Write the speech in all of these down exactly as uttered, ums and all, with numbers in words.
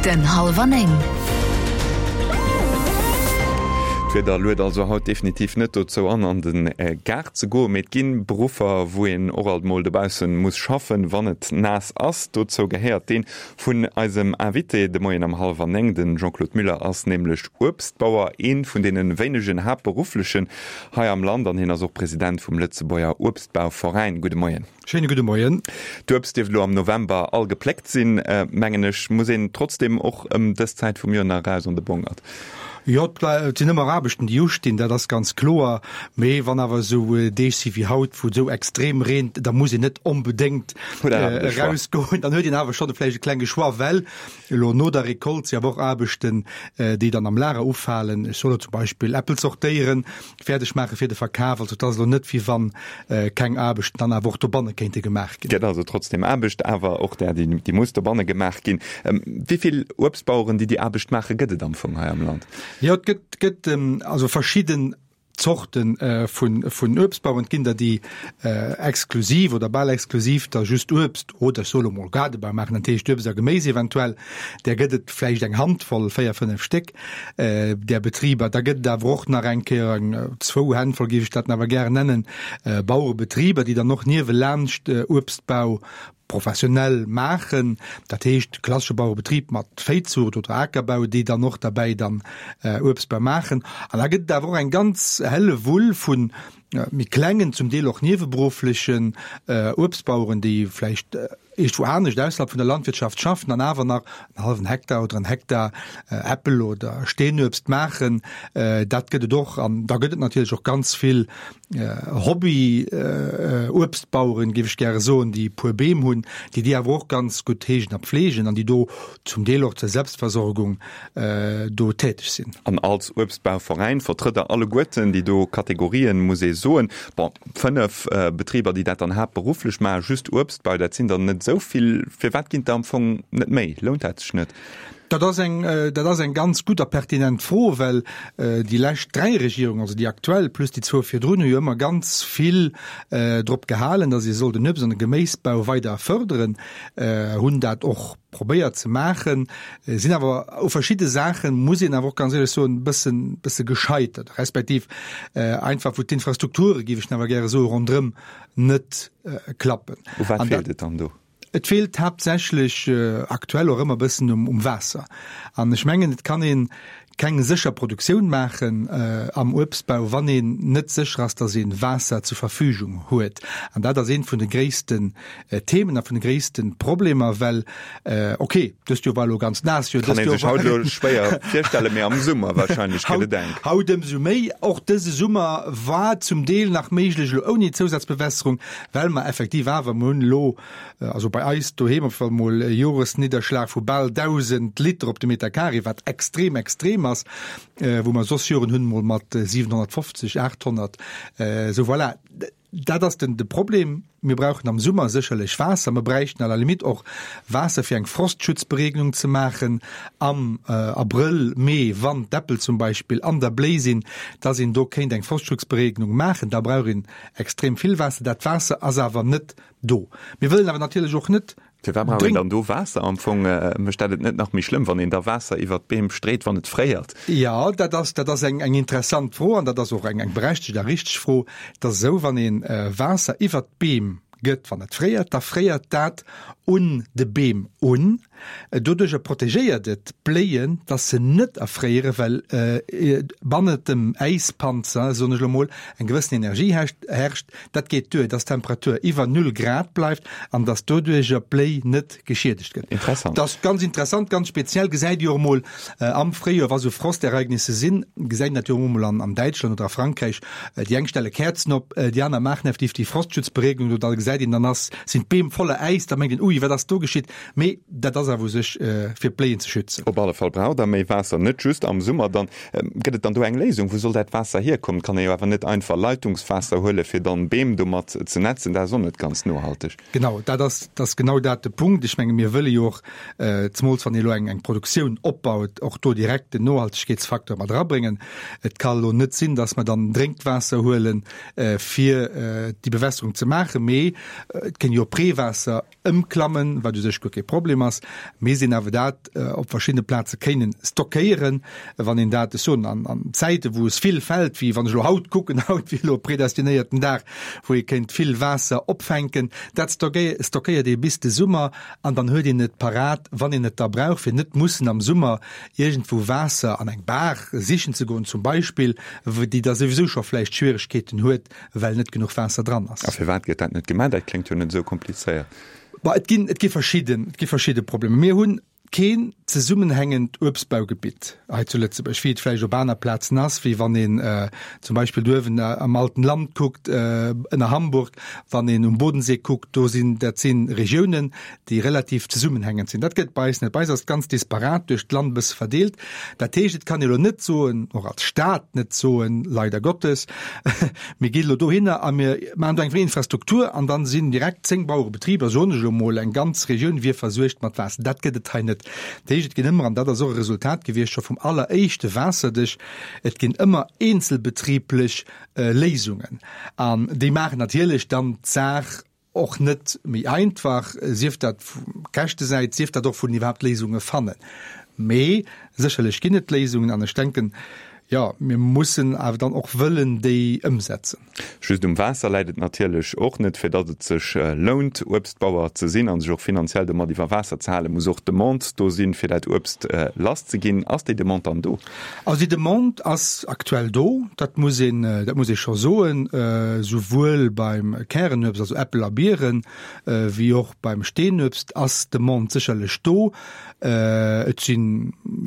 Den Hallwer Néng. D'Wieder luet also haut definitiv net dozou an, an de Gaart ze goen, mee et ginn Beruffer, wou een och alt mol dobaussen muss schaffen, wann et naass ass. Dozou gehéiert deen vun eisem Invité de Moien am hallwer néng. Den Jean-Claude Muller ass nämlech Uebstbauer, een vun deene wéinegen Haaptberufflechen hei am Land, an hien ass och President vum Lëtzebuerger Uebstbauveräin. Gudde Moien. Schéine gudde Moien. D'Uebst dierft elo am November all gepléckt sinn, mengen ech. Muss een trotzdem och ëm dës Zäit vum Joer nach eraus an de Bongert? Jo, et sinn ëmmer Aarbechten, déi ustinn, dat ass ganz kloer. Mee wann awer esou Deeg si wéi haut, wou et esou extrem reent, da muss een net onbedéngt erausgoen. Dann huet een awer schonn vläicht e klenge Choix, well elo no der Recolte si awer och Aarbechten, déi dann am Lager ufalen. Ech soe elo zum Beispill Äppel zortéieren, fäerdeg maache fir de Verkaf. Also et ass elo net, wéi wann keng Aarbechten dann awer och dobanne kéinte gemaach ginn. Gëtt also trotzdem Aarbecht, awer och där, déi muss dobanne gemaach ginn. Wéi vill Uebstbaueren, déi déi Aarbecht maachen, gëtt et am Fong hei am Land? Jo, et gëtt, gëtt also verschidden Zorte vun, vun Uebstbauern. Et ginn der, déi exklusiv oder bal exklusiv da just Uebst oder ech soe lo mol Gaardebau maachen, dat heescht Uebst a Geméis eventuell. Där gëtt et vläicht eng Handvoll, véier, fënnef Stéck, där Betriber. Da gëtt et awer och nach eng Kéier eng, zwou Hännvoll, géif ech dat awer gären nennen, Bauerebetriber, déi dann och niewelaanscht Uebstbau professionell maachen, dat heescht klassesche Bauerebetrib mat Véizuucht oder Akerbau, déi dann och derbäi dann Uebstbau maachen. An da gëtt et awer och eng ganz Hellewull vu méi klengen, zum Deel och nieweberufflechen Uebstbaueren, déi vläicht iergendwou anescht ausserhalb vun der Landwirtschaft schaffen an awer nach en hallwen Hektar oder en Hektar Äppel oder Steenuebst maachen. Dat gëtt et och. An da gëtt et natierlech och ganz vill Hobby-Uebstbaueren, géif ech gäre soen, déi e puer Beem hunn, déi déi awer och ganz gutt heegen a pfleegen an déi do zum Deel och zur Selbstversorgung do täteg sinn. An als Uebstbauveräin vertrëtt Der alleguerten déi do Kategorien, muss ee soen. Bon, fënnef Betriber, déi dat dann haaptberufflech maachen, just Uebstbau, dat sinn der net esou vill. Firwat ginn et der am Fong net méi? Lount dat sech net? Dat ass eng, dat ass eng ganz gutt a pertinent Fro, well déi lescht dräi Regierungen, also déi aktuell plus déi zwou virdrun, hu jo ëmmer ganz vill drop gehalen, datt ee soll den Uebst an de Geméisbau weider fërderen, hunn dat och probéiert ze maachen, sinn awer u verschidde Saachen, muss een awer och ganz éierlech soen, e bëssen, bësse gescheitert, respektiv einfach wou d'Infrastrukture, géif ech awer gäre soen, ronderëm net klappen. U wat feelt et dann do? Et feelt haaptsächlech aktuell och ëmmer e bëssen um Waasser. An ech mengen, et kann ee keng sécher Produktioun maachen am Uebstbau, wann een net sécher ass, datt ee Waasser zur Verfügung huet. An dat ass eent vun de gréissten Themen a vun de gréisste Problemer, well, okay, dëst Joer war elo ganz naass Joer, Kann ee sech haut elo schwéier virstellen, mee am Summer wahrscheinlech gëtt et enk. Haut ëmsou méi. Och dëse Summer war zum Deel nach méiglech, elo ouni Zousazbewässerung, well mer effektiv awer, mer hunn elo, also bei eis doheem op fall mol e Joresnidderschlag vu bal dausend Liter op de Meter Carré, wat extrem extrem ass, wou mer soss Joren hunn mol mat siwenhonnertfofzeg, aathonnert. Sou voilà, dat ass den de Problem. Mir brauchen am Summer sécherlech Waasser, mer bräichten à la limite och Waasser fir eng Frostschutzberegnung ze maachen am Abrëll, Mee, wann d'Äppel zum Beispill an der Bléi sinn, dass een do kéint eng Frostschutzberegnung maachen. Da brauch een extrem vill Waasser. Dat Waasser ass awer net do. Mir wëllen awer natierlech och net Firwat brauch een dann do Waasser? Am Fong mécht dat et net nach méi schlëmm, wann een da Waasser iwwert d'Beem street, wann et fréiert? Jo, dat ass, dat ass eng, eng interessant Fro an dat ass och eng, eng berechtegt a richteg Fro. Et ass esou, wann ee Waasser iwwert d'Beem gëtt, wann et fréiert, da fréiert dat un de Beem un. Doduercher protegéiert et d'Bléien, dass se net erfréieren, well bannent dem Äispanzer, soen ech elo mol, eng gewëssen Energie herrscht. Dat geet duer, dass d'Temperatur iwwer null Grad bleift an dass doduercher d'Bléi net geschiedegt gëtt. Interessant. Dat ass ganz interessant, ganz speziell. Gesäit Dir och emol am Fréijoer, wa sou Frostereignisse sinn, gesäit een dat jo och emol an Däitschland oder a Frankräich, déi eng stelle Käerzen op, déi aner maachen effektiv déi Frostschutzberegnung do, da gesäit een, dann ass, sinn d'Beem voller Äis, da mengt een, ui, wat ass do geschitt? Mee dat ass awer u sech fir d'Bléien ze schützen. Op alle Fall braucht Der méi Waasser, net just am Summer. Dann gëtt et dann do eng Léisung? Wou soll dat Waasser hierkommen? Et kann ee jo awer net einfach Leitungswaasser huelen, fir dann Beem domat ze netzen. Dat ass och net ganz nohalteg. Genau, dat ass, dat ass genau dat de Punkt. Ech menge mir wëlle jo och, zemools wann ee elo eng, eng Produktioun opbaut, och do direkt den Nohaltegkeetsfaktor mat erabréngen. Et ka elo net sinn, datt mer dann Drénkwaasser huelen, fir déi Bewässerung ze maachen, mee et kéint jo op Reewaasser ëmklammen, wat u sech guer kee Problem ass. Misst een awer dat op verschiddene Plaze kéinen stockéieren, wann een dat, ech soen, an an Zäite wou es vill fält, wéi wann ech elo haut kucken, haut wier elo e predestinéierten Dag, wou ee kéint vill Waasser opfänken, dat stockéiert ee bis de Summer an dann huet een et parat, wann een et da brauch, fir net mussen am Summer iergendwou Waasser an eng Baach sichen ze goen zum Beispill, déi da souwisou scho vläicht Schwieregkeeten huet, well net genuch Waasser dran ass. A firwat gëtt dat net gemaach? Dat kléngt jo net esou komplizéiert. Bah, et ginn, et gi verschidden, et gi verschidde Problemer. Mir hunn keen zesummenhängend Uebstbaugebitt hei zu Lëtzebuerg, wéi et vläicht op aner Plazen ass, wéi wann een zum Beispill do uewen am Alten Land kuckt, ënner Hamburg, wann een um Bodensee kuckt, do sinn, dat si Regiounen, déi relativ zesummenhängend sinn. Dat gëtt bei eis net. Bei eis ass et ganz disparat duerch d'Land e bësse verdeelt. Dat heescht, et kann ee elo net soen, och als Stat net soen, leider Gottes, mir ginn elo dohinner a mir maachen do eng Infrastruktur an dann sinn direkt zéng Bauerebetriber, soen ech elo mol, eng ganz Regioun wier versuergt mat Waasser. Dat gëtt et hei net. Dat heescht, et ginn ëmmer, an dat ass och e Resultat gewiescht scho vum alleréischte Waasserdesch, et ginn ëmmer eenzelbetriblech Léisungen. An déi maachen natierlech dann d'Saach och net méi einfach, sief dat vu Käschtesäit, sief dat och vun iwwerhaapt Léisunge fannen. Mee sécherlech ginn et Léisungen an ech denken, jo, mir mussen awer dann och wëllen déi ëmsetzen. Just um Waasser läit et natierlech och net. Fir datt et sech lount, Uebstbauer ze sinn a sech och finanziell domat iwwer Waasser ze halen, muss och d'Demande do sinn, fir dat Uebst lass ze ginn. Ass déi Demande dann do? Also déi Demande ass aktuell do, dat muss een, dat muss ee scho soen, souwuel beim Kärenuebst, also Äppel a Bieren, wéi och beim Steenuebst ass d'Demande sécherlech do. Et si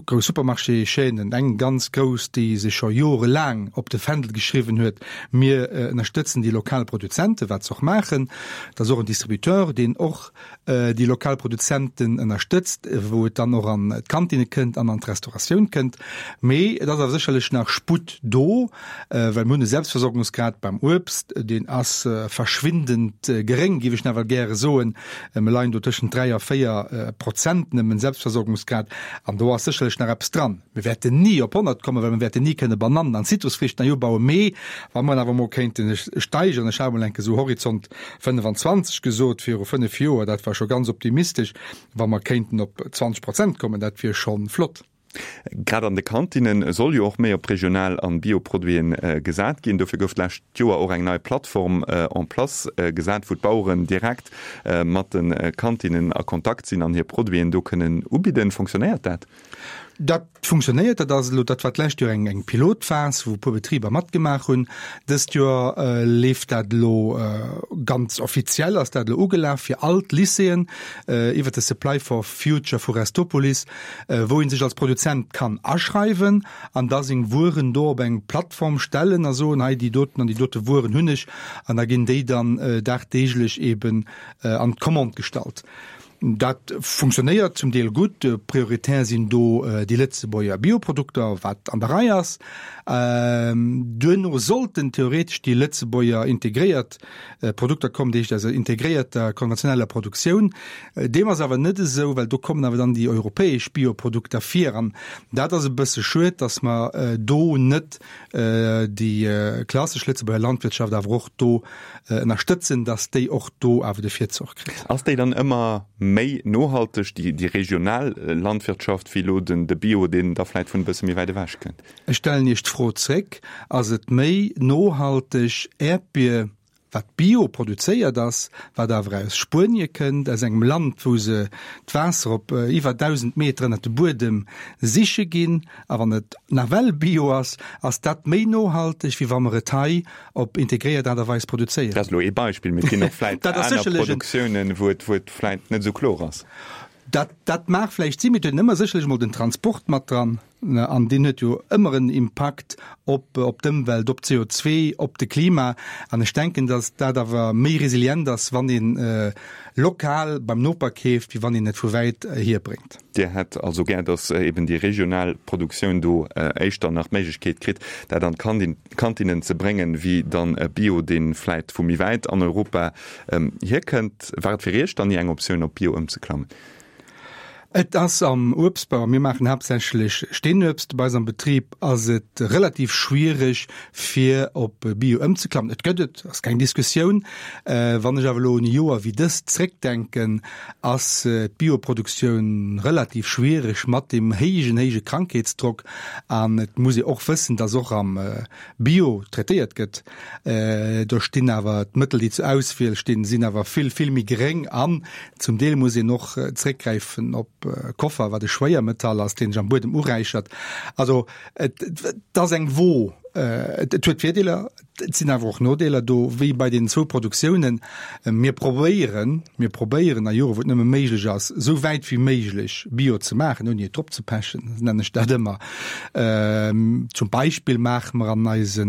grouss Supermarchéschaînen, eng ganz grouss, déi sech scho jorelaang op de Fändel geschriwwen huet, Mir ënnerstëtzen déi lokal Produzenten, wat se och maachen. Et ass och en Distributeur, deen och déi lokal Produzenten ënnerstëtzt, wou et dann och an d'Kantinne kënnt an an d'Restauratioun kënnt. Mee et ass awer sécherlech nach Sputt do, well mir hunn e Selbstversorgungsgrad beim Uebst, deen ass verschwindend geréng, géif ech nawell gäre soen. Mir leien do tëschent dräi a véier Prozent nëmmen Selbstversorgungsgrad an do ass sécherlech nach eppes dran. Mir wäerten ni op honnert kommen, well mir wäerten ni kënne Banannen an Zitrusfrichten hei ubauen, mee wa mer awer emol kéinten steigeren, ech hat emol enke sou Horizont fënnefenzwanzeg gesot viru fënnef Joer, dat war scho ganz optimistesch, wa mer kéinten op zwanzeg Prozent kommen, dat wier scho flott. Grad an de Kantinne soll jo och méi op regional an Bio-Produiten gesat ginn. Dofir gouf d'lescht Joer och eng nei Plattform en place gesat, wou d'Baueren direkt mat de Kantinnen a Kontakt sinn an hir Produiten do kënnen ubidden. Fonctionnéiert dat? Dat funktionéiert. Dat ass elo, dat war d'lescht Joer eng eng Pilotphas, wou e puer Betriber matgemaach hunn. Dëst Joer leeft dat elo ganz offiziell, ass dat elo ugelaf fir all d'Lycéeën iwwert de Supply for Future vu Restopolis, wou ee sech als Produzent kann aschreiwen an da seng Wueren do op eng Plattform stellen a soen, hei déi doten an déi dote Wueren hunn ech an da ginn déi dann dagdeeglech eeben an d'Commande gestallt. Dat funktionéiert zum Deel gutt. Prioritär sinn do déi Lëtzebuerger Bioprodukter, wat an der Rei ass. Duerno sollten theoretesch déi Lëtzebuerger integréiert Produkter kommen, dat heescht aus der integréierter konventioneller Produktioun. Deem ass awer net esou, well do kommen awer dann déi europäesch Bioprodukter vir. An dat ass e bësse schued, datt mer do net déi klassesch Lëtzebuerger Landwirtschaft awer och do ënnerstëtzen, datt déi och do awer de Virzoch kritt. Ass déi dann ëmmer méi nohalteg, déi, déi regional Landwirtschaft, wéi elo den, de Bio, deen da vläit vun e bësse méi wäit ewech kënnt? Ech stellen Iech d'Fro zréck, Ass et méi nohalteg, Äerdbier, wat bio produzéiert ass, wat awer aus Spuenie kënnt, aus engem Land, wou se d'Waasser op iwwer dausend Meter ënnert de Buedem siche ginn, a wann et nawell bio ass, ass dat méi nohalteg, wéi wa mer et hei op integréiert Aart a Weis produzéieren? Dat ass elo ee Beispill, mee et ginn och vläit aner Produktiounen, wou et, wou et vläit net esou kloer ass. Dat, dat mag vläicht sinn, mee et huet een ëmmer sécherlech emol den Transport mat dran, an deen huet jo ëmmer en Impakt op, op d'Ëmwelt, op d'C O zwee, op de Klima. An ech denken, datt dat awer méi resilient ass, wann een lokal beim Noper keeft, wéi wann een et vu wäit hier bréngt. Dir hätt also gär, datt eben déi regional Produktioun do éischter nach d'Méiglechkeet kritt, dat an d'Kantinnen ze bréngen, wéi dann e Bio, dee vläit vu méi wäit an Europa hierkënnt. War et fir Iech dann ni eng Optioun, op Bio ëmzeklammen? Et ass am Uebstbau, mir maachen haaptsächlech Steenuebst bei eis am Betrib, ass et relativ schwiereg fir op Bio ëmzeklammen. Et gëtt et, ass keng Diskussioun. Wann ech awer elo un e Joer wéi dëst zréckdenken, ass d'Bioproduktioun relativ schwiereg mat deem héijen, héije Krankheetsdrock. An et muss ee och wëssen, dass och am Bio traitéiert gëtt. Do stinn awer d'Mëttel, déi zur Auswiel stinn, sinn awer vill, vill méi geréng an zum Deel muss een och zréckgräifen op Koffer, wat e Schwéiermetall ass, deen sech am Buedem uräichert. Also et ass eng Wo. Et huet Virdeeler, et sinn awer och Nodeeler do, wéi bei deenen zwou Produktiounen. Mir probéieren, mir probéieren a Jore wou et nëmme méiglech ass, esou wäit wéi méiglech Bio ze maachen, ouni et drop ze pechen, nennen ech dat ëmmer. Zum Beispill maache mer an eise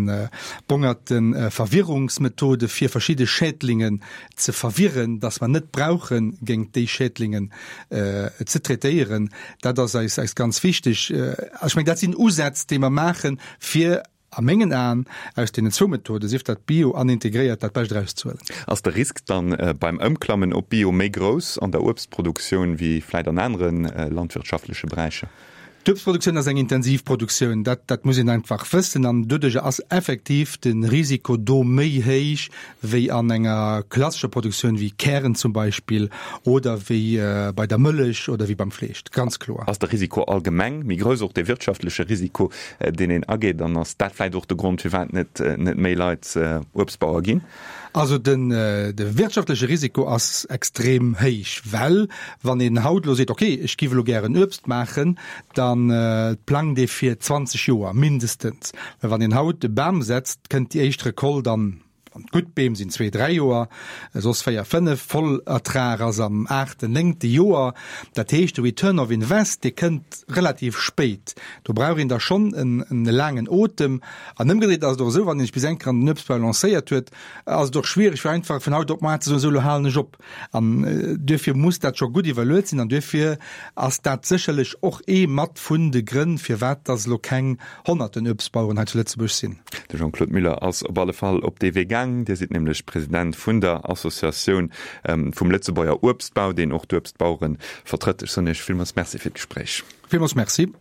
Bongerte Verwirrungsmethode fir verschidde Schädlingen ze verwirren, dass mer net brauche géint déi Schädlingen ze traitéieren. Dat ass eis eis ganz wichteg. Ech mengen, dat sinn Usätz, déi mer maachen, fir a mengen Aen aus deenen zwou Methoden, sief dat bio an integréiert, dat Bescht erauszehuelen. Ass de Risk dann beim Ëmklammen op Bio méi grouss an der Uebstproduktioun wéi vläit an anere landwirtschaftleche Beräicher? D'Uebstproduktioun ass eng intensiv Produktioun, dat dat muss een einfach wëssen an doduerch ass effektiv de Risiko do méi héich wéi an enger klassescher Produktioun wéi Kären zum Beispill oder wéi bei der Mëllech oder wéi beim Fleesch, ganz kloer. Ass de Risiko allgemeng méi grouss, och dee wirtschaftleche Risiko, deen een ageet, an ass dat vläicht och de Grond, firwat net net méi Leit Uebstbauer ginn? Also den de wirtschaftleche Risiko ass extrem héich, well wann een haut elo seet, okay, ech giff elo gären Uebst maachen, da plangt ee fir zwanzeg Joer mindestens. Well wann een haut e Bam setzt, kënnt déi éischt Recolte dann, wann et gutt Beem sinn, zwee, dräi Joer, soss véier, fënnef, Vollertrag ass am aachten, néngte Joer. Dat heescht, de Return of invest, dee kënnt relativ spéit. Do brauch een da schonn en laangen Otem. An ëmgedréit ass et och esou, wann een sech bis eng Kéier an den Uebstbau lancéiert huet, ass et och schwiereg fir einfach vun haut op muar ze soen, esou elo halen ech op. An duerfir muss dat scho gutt iwwerluet sinn an duerfir ass dat sécherlech och ee mat vun de Grënn, firwat dass elo keng honnerten Uebstbaueren hei zu Lëtzebuerg sinn. De Jean-Claude Muller ass op alle Fall op dee Wee gaang. Dir sidd nämlech President vun der Associatioun vum Lëtzebuerger Uebstbau, deen och d'Uebstbauere vertrëtt. Ech soen Iech villmools Merci fir d'Gespréich. Villmools Merci.